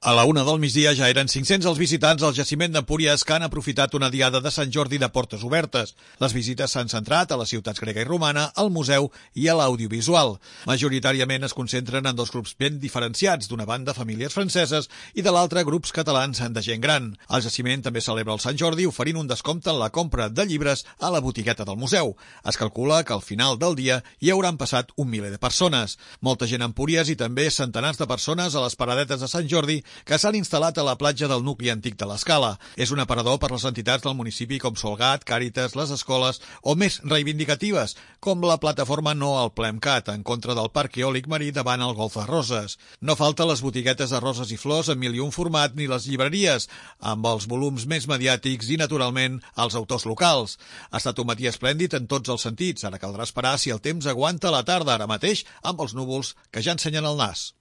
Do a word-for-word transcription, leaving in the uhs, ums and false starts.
A la una del migdia ja eren cinc-cents els visitants al jaciment d'Empúries que han aprofitat una diada de Sant Jordi de portes obertes. Les visites s'han centrat a les ciutats grega i romana, al museu i a l'audiovisual. Majoritàriament es concentren en dos grups ben diferenciats, d'una banda famílies franceses i de l'altra grups catalans de gent gran. El jaciment també celebra el Sant Jordi oferint un descompte en la compra de llibres a la botigueta del museu. Es calcula que al final del dia hi hauran passat un miler de persones. Molta gent a Empúries i també centenars de persones a les paradetes de Sant Jordi que s'han instal·lat a la platja del nucli antic de l'Escala. És un aparador per les entitats del municipi com Solgat, Càritas, les escoles o més reivindicatives, com la plataforma No al Plemcat, en contra del parc eòlic marí davant el Golf de Roses. No falta les botiguetes de roses i flors en mil i un format ni les llibreries, amb els volums més mediàtics i, naturalment, els autors locals. Ha estat un matí esplèndid en tots els sentits. Ara caldrà esperar si el temps aguanta la tarda, ara mateix, amb els núvols que ja ensenyen el nas.